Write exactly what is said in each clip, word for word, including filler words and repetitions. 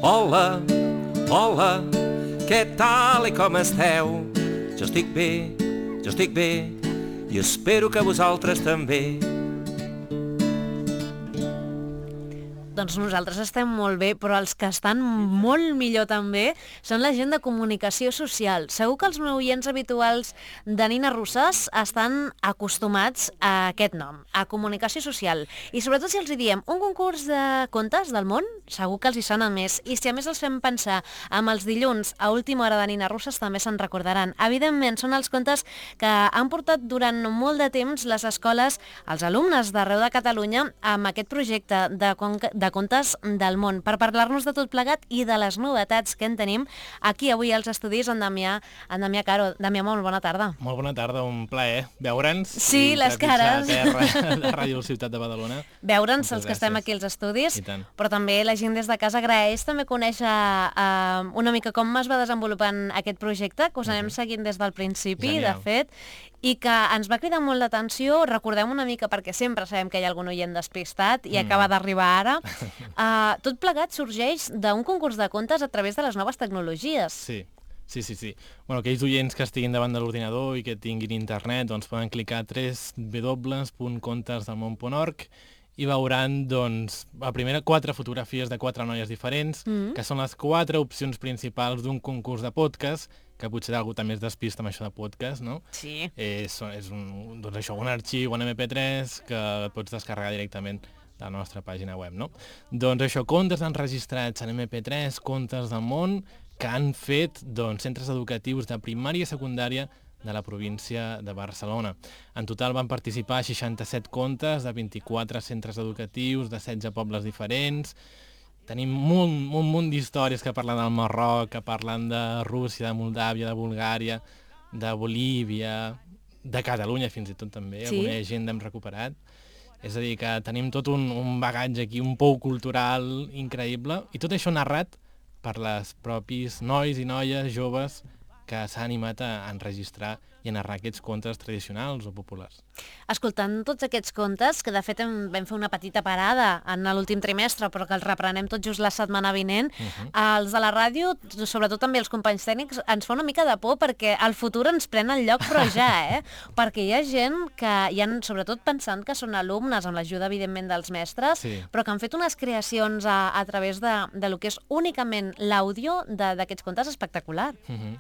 Hola, hola, què tal i com esteu? Jo estic bé, jo estic bé, i espero que vosaltres també. Doncs nosaltres estem molt bé, però els que estan molt millor també són la gent de comunicació social. Segur que els meus oients habituals de Nina Rossàs estan acostumats a aquest nom, a comunicació social. I sobretot si els hi diem un concurs de contes del món, segur que els hi sona més. I si a més els fem pensar amb els dilluns a última hora de Nina Rossàs, també se'n recordaran. Evidentment, són els contes que han portat durant molt de temps les escoles, els alumnes d'arreu de Catalunya, amb aquest projecte de, de contes del món, per parlar-nos de tot plegat i de les novetats que en tenim aquí avui als estudis en Damià, en Damià Caro. Damià, molt bona tarda. Molt bona tarda, un plaer veure'ns. Sí, les cares. Terra de Ràdio Ciutat de Badalona. Veure'ns els que estem aquí als estudis, però també la gent des de casa agraeix també conèixer uh, una mica com es va desenvolupant aquest projecte, que us anem seguint des del principi, de fet, i que ens va cridar molt l'atenció. Recordem una mica, perquè sempre sabem que hi ha algun oient despistat i mm. acaba d'arribar ara. Uh, tot plegat sorgeix d'un concurs de contes a través de les noves tecnologies. Sí, sí, sí. sí. Bueno, aquells oients que estiguin davant de l'ordinador i que tinguin internet, doncs poden clicar a w w w punt contes del món punt org i veuran, doncs, a primera quatre fotografies de quatre noies diferents, mm. que són les quatre opcions principals d'un concurs de podcast, que potser algú també es despista amb això de podcast, no? Sí. És, és un, doncs això, un arxiu, un eme pe tres, que pots descarregar directament de la nostra pàgina web, no? Doncs això, contes enregistrats en eme pe tres, contes del món, que han fet, doncs, centres educatius de primària i secundària de la província de Barcelona. En total van participar seixanta-set contes de vint-i-quatre centres educatius de setze pobles diferents. Tenim un, un munt d'històries que parlen del Marroc, que parlen de Rússia, de Moldàvia, de Bulgària, de Bolívia, de Catalunya fins i tot també, sí. Alguna gent hem recuperat. És a dir, que tenim tot un, un bagatge aquí, un pou cultural increïble, i tot això narrat per les propis nois i noies joves que s'ha animat a enregistrar i a narrar aquests contes tradicionals o populars. Escoltant tots aquests contes, que de fet hem, vam fer una petita parada en l'últim trimestre, però que els reprenem tot just la setmana vinent, uh-huh. els de la ràdio, sobretot també els companys tècnics, ens fa una mica de por perquè el futur ens pren el lloc, però ja, eh? Perquè hi ha gent que hi han, sobretot pensant que són alumnes, amb l'ajuda, evidentment, dels mestres, sí. però que han fet unes creacions a, a través de, de lo que és únicament l'àudio d'aquests contes espectacular. Uh-huh.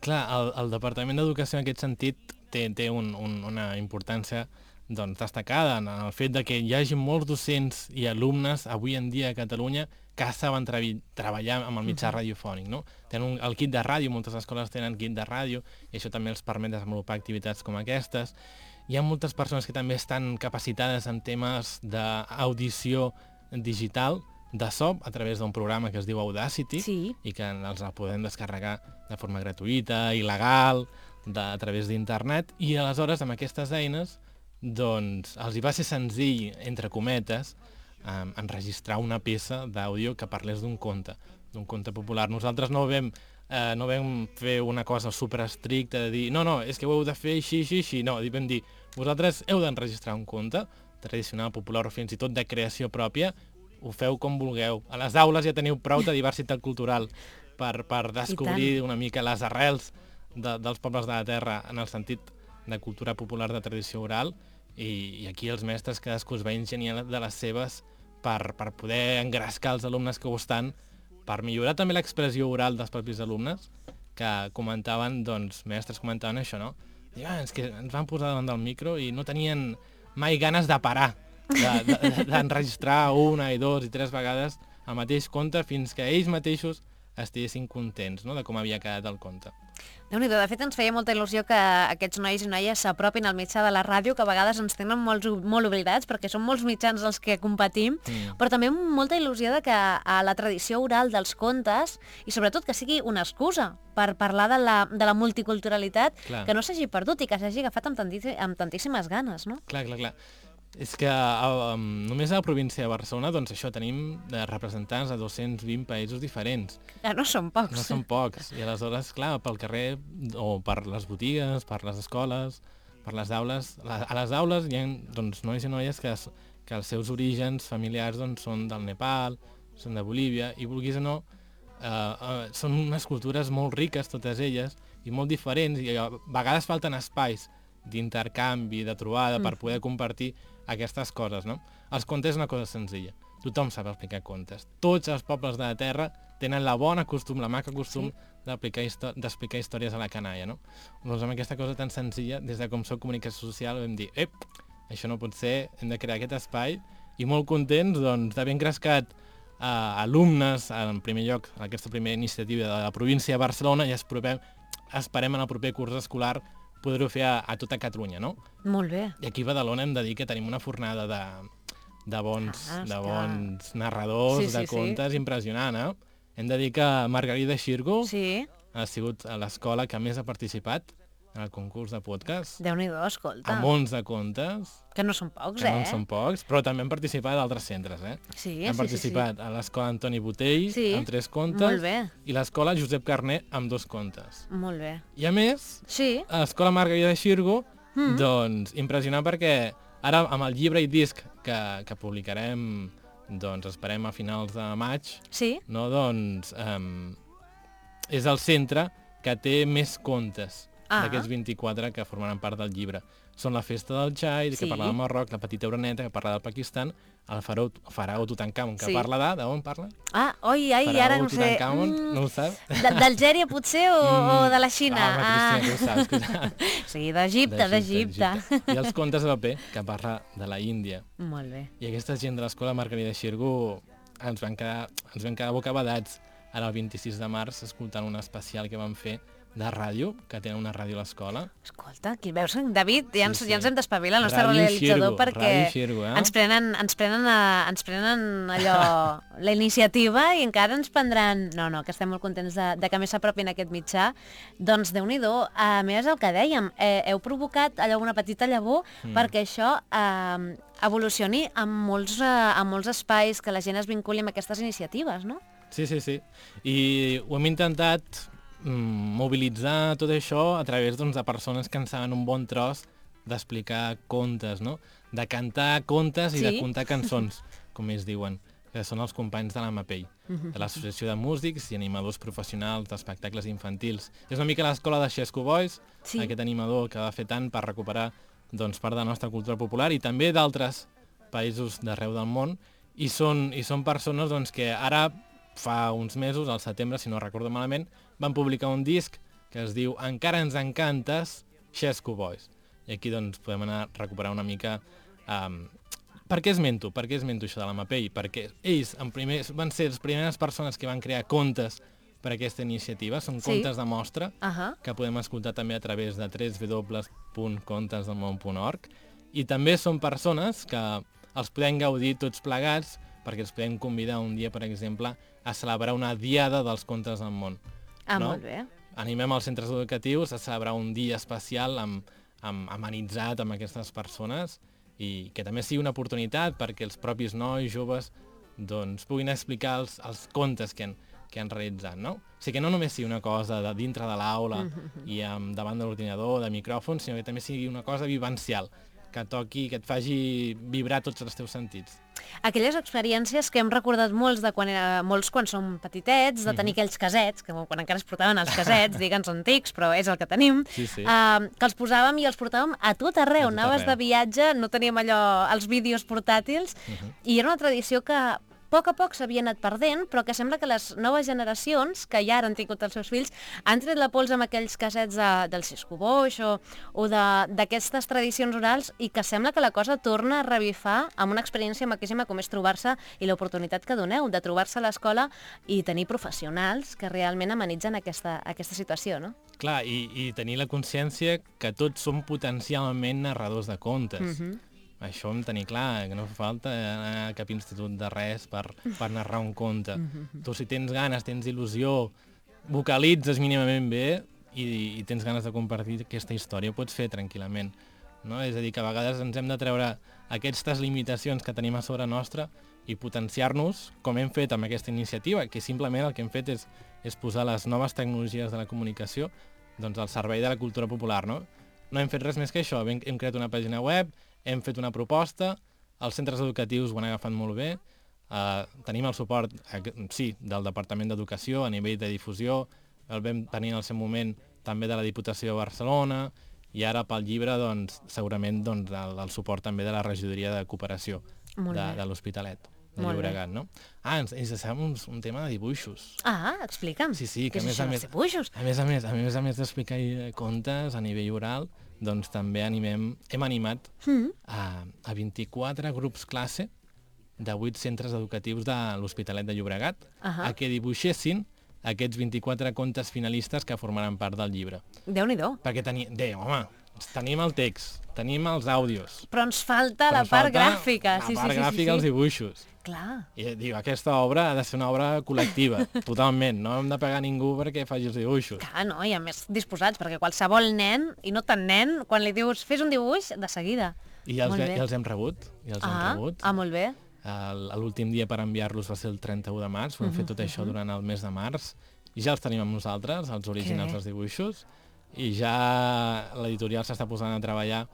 Clar, el, el Departament d'Educació en aquest sentit té, té un, un, una importància doncs, destacada en el fet de que hi hagi molts docents i alumnes avui en dia a Catalunya que saben tra treballar amb el mitjà uh-huh. radiofònic. No? Tenen un, el kit de ràdio, moltes escoles tenen kit de ràdio, i això també els permet desenvolupar activitats com aquestes. Hi ha moltes persones que també estan capacitades en temes d'audició digital, de so, a través d'un programa que es diu Audacity, sí. i que els el podem descarregar de forma gratuïta, il·legal, de, a través d'internet, i aleshores amb aquestes eines doncs els hi va ser senzill, entre cometes, um, enregistrar una peça d'àudio que parlés d'un conte, d'un conte popular. Nosaltres no vam, eh, no vam fer una cosa super estricta de dir no, no, és que ho heu de fer així, així, així, no, vam dir, vosaltres heu d'enregistrar un conte tradicional, popular o fins i tot de creació pròpia, ho feu com vulgueu. A les aules ja teniu prou de diversitat cultural per, per descobrir una mica les arrels de, dels pobles de la terra en el sentit de cultura popular de tradició oral i, i aquí els mestres cadascú es va ingeniar de les seves per, per poder engrescar els alumnes que ho estan, per millorar també l'expressió oral dels propis alumnes que comentaven, doncs, mestres comentaven això, no? I, ah, és que ens van posar davant del micro i no tenien mai ganes de parar d'enregistrar de, de, una i dos i tres vegades el mateix conte fins que ells mateixos estiguessin contents, no?, de com havia quedat el conte. Déu-n'hi-do, de fet ens feia molta il·lusió que aquests nois i noies s'apropin al mitjà de la ràdio, que a vegades ens tenen molts, molt oblidats, perquè són molts mitjans els que competim, mm. però també molta il·lusió de que a la tradició oral dels contes, i sobretot que sigui una excusa per parlar de la, de la multiculturalitat, clar. Que no s'hagi perdut i que s'hagi agafat amb, amb tantíssimes ganes, no? Clar, clar, clar. És que um, només a la província de Barcelona, doncs això, tenim de representants de dos-cents vint països diferents. Ja no són pocs. No són pocs. I aleshores, clar, pel carrer, o per les botigues, per les escoles, per les aules, a les aules hi ha doncs, nois i noies que, que els seus orígens familiars doncs, són del Nepal, són de Bolívia, i vulguis o no, uh, són unes cultures molt riques, totes elles, i molt diferents, i a vegades falten espais d'intercanvi, de trobada, per poder compartir aquestes coses, no? Els contes és una cosa senzilla. Tothom sap explicar contes. Tots els pobles de la Terra tenen la bona costum, la maca costum sí. d'explicar histo històries a la canalla, no? Doncs amb aquesta cosa tan senzilla, des de com soc comunicació social, vam dir, ep, això no pot ser, hem de crear aquest espai, i molt contents doncs, d'haver engrescat eh, alumnes, en primer lloc, en aquesta primera iniciativa de la província de Barcelona, i esperem, esperem en el proper curs escolar poder-ho fer a, a tota Catalunya, no? Molt bé. I aquí a Badalona hem de dir que tenim una fornada de, de, bons, ah, de bons narradors, sí, sí, de contes, sí. impressionant, eh? Hem de dir que Margarida Xirgo sí. ha sigut a l'escola que més ha participat en el concurs de podcast. Déu-n'hi-do, escolta. Amb onze contes. Que no són pocs, que eh? Que no són pocs, però també han participat d'altres centres, eh? Sí, han sí, participat sí, sí. a l'escola Antoni Botell, sí. amb tres contes, Molt bé. i l'escola Josep Carné, amb dos contes. Molt bé. I a més, sí. a l'escola Margarida Xirgo, mm. doncs, impressionant perquè ara amb el llibre i disc que, que publicarem, doncs, esperem a finals de maig, sí. no, doncs, um, és el centre que té més contes ah. d'aquests vint-i-quatre que formaran part del llibre. Són la festa del xai, sí. que parla del Marroc, la petita Oreneta, que parla del Pakistan, el faraó, faraó Tutankamon, que sí. parla de... d'on parla? Ah, oi, ai, faraó ara no sé. Tutankamon, mm, no ho saps? D'Algèria, potser, o, mm. o de la Xina? Ah, home, ah. Cristina, tu ho saps. Sí, d'Egipte, d'Egipte. I els contes de paper, que parla de la Índia. Molt bé. I aquesta gent de l'escola Margarida Xirgo ens van quedar, ens van quedar bocabadats ara el vint-i-sis de març escoltant un especial que vam fer de ràdio, que tenen una ràdio a l'escola. Escolta, aquí veus, David, ja ens, sí, sí. ja ens hem d'espavilar, el nostre Ràdio realitzador, Xirgo, perquè Xirgo, eh? ens, prenen, ens, prenen a, ens prenen allò, la iniciativa, i encara ens prendran... No, no, que estem molt contents de, de que més s'apropin aquest mitjà. Doncs Déu-n'hi-do, a més el que dèiem, eh, heu provocat allò una petita llavor mm. perquè això eh, evolucioni en molts, eh, en molts espais, que la gent es vinculi amb aquestes iniciatives, no? Sí, sí, sí. I ho hem intentat mobilitzar tot això a través doncs, de persones que en saben un bon tros d'explicar contes, no? De cantar contes i sí? de contar cançons, com ells diuen, que són els companys de l'A M A P E I, de l'Associació de Músics i Animadors Professionals d'Espectacles Infantils. És una mica l'escola de Xesco Boys, sí. aquest animador que va fer tant per recuperar doncs, part de la nostra cultura popular i també d'altres països d'arreu del món, i són, i són persones doncs, que ara fa uns mesos, al setembre, si no recordo malament, van publicar un disc que es diu Encara ens encantes, Xesco Boys. I aquí doncs, podem anar a recuperar una mica... Um, per què esmento? Per què esmento això de l'A M A P E I? Perquè ells en primer, van ser les primeres persones que van crear contes per a aquesta iniciativa. Són sí. contes de mostra, uh -huh. que podem escoltar també a través de w w w punt contes del món punt org. I també són persones que els podem gaudir tots plegats, perquè els podem convidar un dia, per exemple, a celebrar una diada dels contes del món. Ah, no? molt bé. Animem els centres educatius a celebrar un dia especial amb, amb, amenitzat amb aquestes persones i que també sigui una oportunitat perquè els propis nois, joves, doncs, puguin explicar els, els contes que han, que han realitzat, no? O sigui, que no només sigui una cosa de dintre de l'aula mm-hmm. i um, davant de l'ordinador, de micròfons, sinó que també sigui una cosa vivencial, que toqui, que et faci vibrar tots els teus sentits. Aquelles experiències que hem recordat molts de quan era, molts quan som petitets, de tenir mm-hmm. aquells casets, que quan encara es portaven els casets, digue'ns antics, però és el que tenim, sí, sí. Uh, que els posàvem i els portàvem a tot arreu. A tot Anaves arreu. de viatge, no teníem allò, els vídeos portàtils, mm-hmm. i era una tradició que a poc a poc s'havia anat perdent, però que sembla que les noves generacions, que ja han tingut els seus fills, han tret la pols amb aquells casets de, del Xesco Boix o, o d'aquestes tradicions orals, i que sembla que la cosa torna a revifar amb una experiència maquíssima com és trobar-se, i l'oportunitat que doneu de trobar-se a l'escola i tenir professionals que realment amenitzen aquesta, aquesta situació, no? Clar, i, i tenir la consciència que tots som potencialment narradors de contes. Mm-hmm. Això hem de tenir clar, que no fa falta anar a cap institut de res per, per narrar un conte. Mm-hmm. Tu, si tens ganes, tens il·lusió, vocalitzes mínimament bé i, i tens ganes de compartir aquesta història, ho pots fer tranquil·lament. No? És a dir, que a vegades ens hem de treure aquestes limitacions que tenim a sobre nostra i potenciar-nos, com hem fet amb aquesta iniciativa, que simplement el que hem fet és, és posar les noves tecnologies de la comunicació doncs, al servei de la cultura popular. No, no hem fet res més que això, hem, hem creat una pàgina web, hem fet una proposta, els centres educatius ho han agafat molt bé, Uh, tenim el suport, uh, sí, del Departament d'Educació a nivell de difusió, el vam tenir en el seu moment també de la Diputació de Barcelona, i ara pel llibre, doncs, segurament doncs, el, el suport també de la Regidoria de Cooperació de, de l'Hospitalet de Llobregat, no? Ah, ens, ens deixem un, un tema de dibuixos. Ah, explica'm. Sí, sí, que Què a és més això a dels més, dibuixos? a més a més, a més a més d'explicar contes a nivell oral, doncs també animem, hem animat Mm. a, a vint-i-quatre grups classe de vuit centres educatius de l'Hospitalet de Llobregat Ahà. a que dibuixessin aquests vint-i-quatre contes finalistes que formaran part del llibre. Déu-n'hi-do. Perquè teni... Déu, home, tenim el text, tenim els àudios. Però ens falta però la ens part falta gràfica. La Sí, part sí, sí, gràfica, sí, els sí. dibuixos. Clar. I diu, aquesta obra ha de ser una obra col·lectiva, totalment. No hem de pagar ningú perquè faci els dibuixos. Clar, no, i a més disposats, perquè qualsevol nen, i no tan nen, quan li dius fes un dibuix, de seguida. I els, Molt ve- bé. i els hem rebut. I els hem Ah, rebut. ah, molt bé. El- L'últim dia per enviar-los va ser el trenta-u de març, vam fer tot això durant el mes de març, i ja els tenim amb nosaltres, els originals bé. dels dibuixos, i ja l'editorial s'està posant a treballar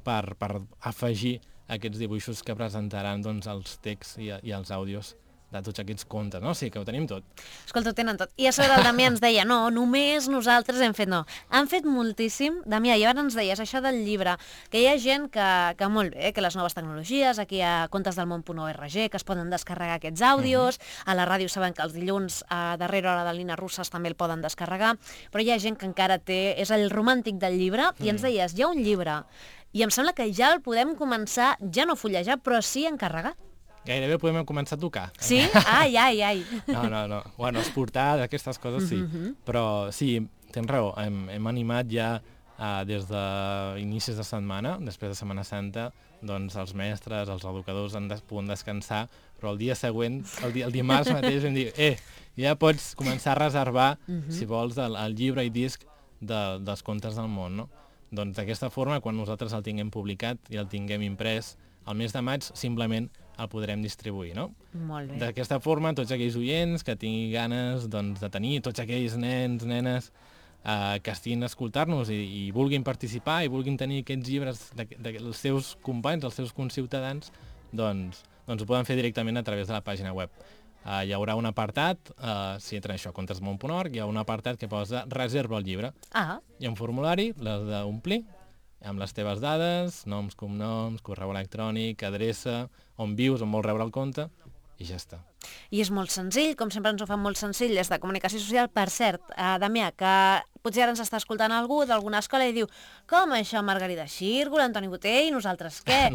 per, per afegir aquests dibuixos que presentaran doncs, els texts i, i els àudios de tots aquests contes, no? Sí, que ho tenim tot. Escolta, ho tenen tot. I a sobre el Damià ens deia, no, només nosaltres hem fet, no. Han fet moltíssim. Damià, i ara ens deies això del llibre, que hi ha gent que, que molt bé, que les noves tecnologies, aquí a contesdelmón.org, que es poden descarregar aquests àudios, uh-huh. A la ràdio saben que els dilluns a darrera hora de Nina Russes també el poden descarregar, però hi ha gent que encara té, és el romàntic del llibre, uh-huh. I ens deies, hi ha un llibre, i em sembla que ja el podem començar, ja no a fullejar, però sí a encarregar. Gairebé podem començar a tocar. Sí? Ai, ai, ai. No, no, no. Bueno, esportar, aquestes coses sí. Mhm. Però sí, tens raó, hem, hem animat ja uh, des d'inicis de setmana, després de Setmana Santa, doncs els mestres, els educadors han de, poden descansar, però el dia següent, el, dia, el dimarts mateix vam dir, eh, ja pots començar a reservar, Mhm. si vols, el, el llibre i disc de, dels contes del món, no? Doncs d'aquesta forma, quan nosaltres el tinguem publicat i el tinguem imprès, al mes de maig simplement el podrem distribuir, no? Molt bé. D'aquesta forma, tots aquells oients que tinguin ganes doncs, de tenir, tots aquells nens, nenes eh, que estiguin a escoltar-nos i, i vulguin participar i vulguin tenir aquests llibres dels seus companys, dels seus conciutadans, doncs, doncs ho poden fer directament a través de la pàgina web. Uh, hi haurà un apartat, uh, si entren això a contesmón punt org, hi ha un apartat que posa reserva el llibre. Ah, Hi ha un formulari, l'has d'omplir, amb les teves dades, noms, cognoms, correu electrònic, adreça, on vius, on vols rebre el compte, i ja està. i és molt senzill, com sempre ens ho fan molt senzill, des de comunicació social. Per cert, eh, Damià, que potser ara ens està escoltant algú d'alguna escola i diu, com això, Margarida Xirgo, l'Antoni Botell, i nosaltres què?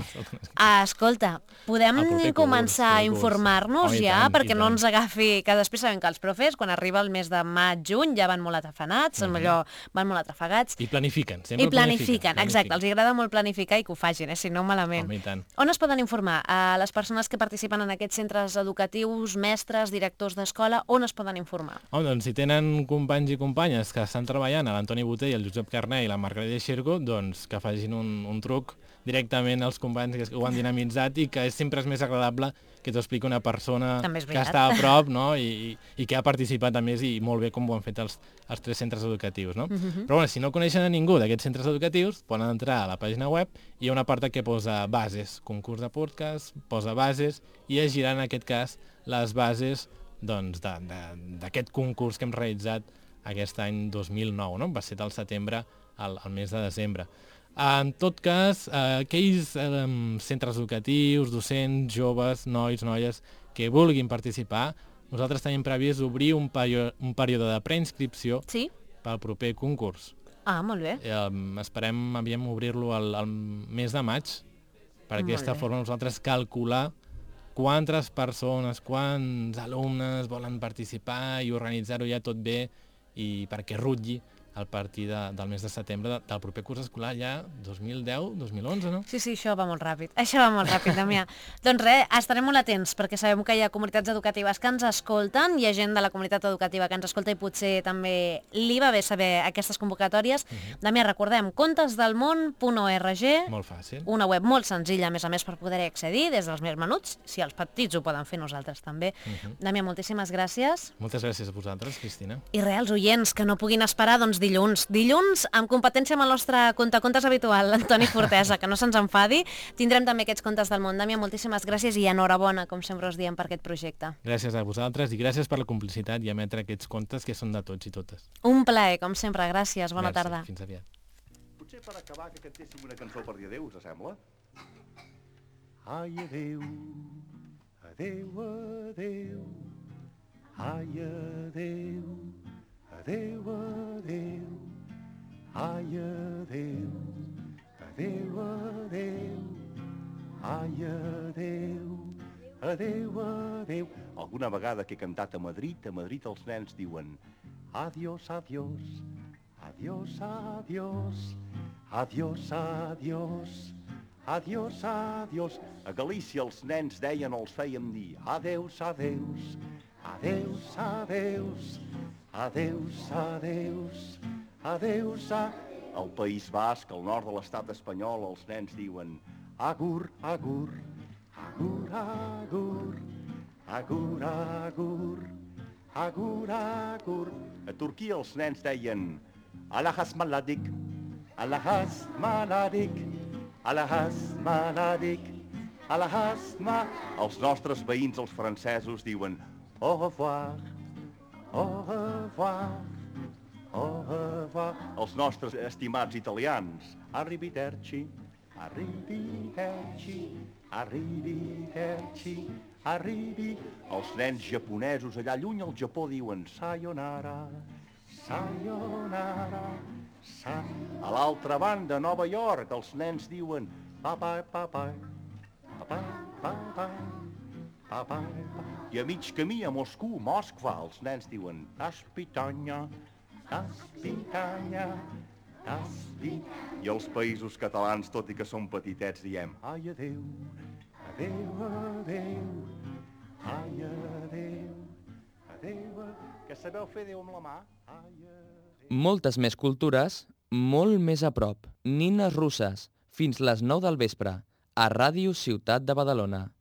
Ah, escolta, podem El proper començar curs, a el curs. informar-nos Oh, i ja, tant, perquè i no tant. ens agafi, que després sabem que els profes, quan arriba el mes de maig, juny, ja van molt atrafanats, mm -hmm. allò, van molt atrafegats, I planifiquen, sempre i planifiquen, exacte, els agrada molt planificar i que ho facin, eh, si no malament. Home, i tant. On es poden informar? A les persones que participen en aquests centres educatius, mestres, directors d'escola, on es poden informar? Home, doncs si tenen companys i companyes que estan treballant, a l'Antoni Botell, el Josep Carné i la Margarida Xirgo, doncs que facin un, un truc directament als companys que ho han dinamitzat i que és, sempre és més agradable que t'ho expliqui una persona També és que veritat. està a prop, no? I, i, i que ha participat a més i molt bé com ho han fet els, els tres centres educatius, no? Mhm. Però bueno, si no coneixen a ningú d'aquests centres educatius, poden entrar a la pàgina web i hi ha una part que posa bases, concurs de podcast, posa bases i es giran en aquest cas les bases doncs, d'aquest concurs que hem realitzat aquest any dos mil nou, no? Va ser del setembre al, al mes de desembre. En tot cas, eh, aquells eh, centres educatius, docents, joves, nois, noies que vulguin participar, nosaltres tenim previst obrir un, període, un període de preinscripció Sí? pel proper concurs. Ah, molt bé. Eh, esperem aviam obrir-lo al, al mes de maig, per Molt aquesta bé. forma nosaltres calcular quantes persones, quants alumnes volen participar i organitzar-ho ja tot bé i perquè rutlli a partir de, del mes de setembre de, del proper curs escolar ja dos mil deu dos mil onze, no? Sí, sí, això va molt ràpid. Això va molt ràpid, Damià. Doncs res, estarem molt atents, perquè sabem que hi ha comunitats educatives que ens escolten, hi ha gent de la comunitat educativa que ens escolta i potser també li va bé saber aquestes convocatòries. Uh-huh. Damià, recordem, contesdelmón punt org, Molt fàcil. una web molt senzilla, a més a més, per poder accedir des dels més menuts, si els petits ho poden fer, nosaltres també. Uh-huh. Damià, moltíssimes gràcies. Moltes gràcies a vosaltres, Cristina. I res, els oients que no puguin esperar, doncs dilluns. Dilluns, amb competència amb el nostre contacontes habitual, Antoni Fortesa, que no se'ns enfadi. Tindrem també aquests contes del món. Damià, moltíssimes gràcies i enhorabona, com sempre us diem, per aquest projecte. Gràcies a vosaltres i gràcies per la complicitat i emetre aquests contes que són de tots i totes. Un plaer, com sempre. Gràcies. Bona Merci. tarda. Fins aviat. Potser per acabar que cantéssim una cançó per dir adéu, us sembla? Ai, adéu, adéu, adéu, ai, adéu, adéu, adéu, ai, adéu, adéu, adéu, ai, adéu, adéu, adéu. Alguna vegada que he cantat a Madrid, a Madrid els nens diuen adiós, adiós, adiós, adiós, adiós, adiós, adiós, adiós. A Galícia els nens deien, els fèiem dir adeus, adeus, adeus, adeus, adeus, adeus, adeus, a... Al País Basc, al nord de l'estat espanyol, els nens diuen agur, agur, agur, agur, agur, agur, agur, agur. A Turquia els nens deien Allahas maladik, Allahas maladik, Allahas maladik, Allahas ma... Els nostres veïns, els francesos, diuen au revoir, au revoir, au revoir. Els nostres estimats italians, arrivederci, arrivederci, arrivederci, arrivi. Els nens japonesos allà lluny al Japó diuen sayonara, sayonara, sa... A l'altra banda, a Nova York, els nens diuen papai, papai, papai, papai, papai, papai. I a mig camí a Moscou, Moskva, els nens diuen das pitanya, das pitanya, das pi... I els països catalans, tot i que són petitets, diem ai, adéu, adéu, adéu, ai, adéu, adéu, que sabeu fer Déu amb la mà? Ai, adéu. Moltes més cultures, molt més a prop. Nines russes, fins les nou del vespre, a Ràdio Ciutat de Badalona.